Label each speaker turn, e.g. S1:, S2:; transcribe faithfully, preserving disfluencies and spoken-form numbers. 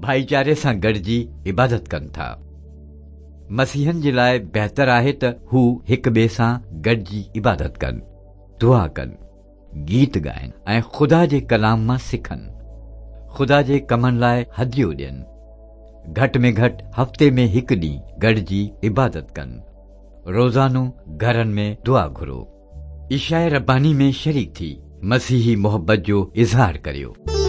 S1: ڀائيچاري سان گڏجي عبادت ڪن ٿا. مسيحن جي لاءِ بهتر آهي ته هو هڪ ٻئي سان گڏجي عبادت ڪن، دعا ڪن، گيت ڳائن ۽ خدا جي ڪلام مان سکن. خدا جي ڪمن لاءِ هديو ڏين. گهٽ ۾ گهٽ هفتي ۾ هڪ ڏينهن گڏجي عبادت ڪن. روزانو گهرن ۾ دعا گهرو. عشاءِ رباني ۾ شريڪ ٿي مسيحي محبت جو اظهار ڪريو.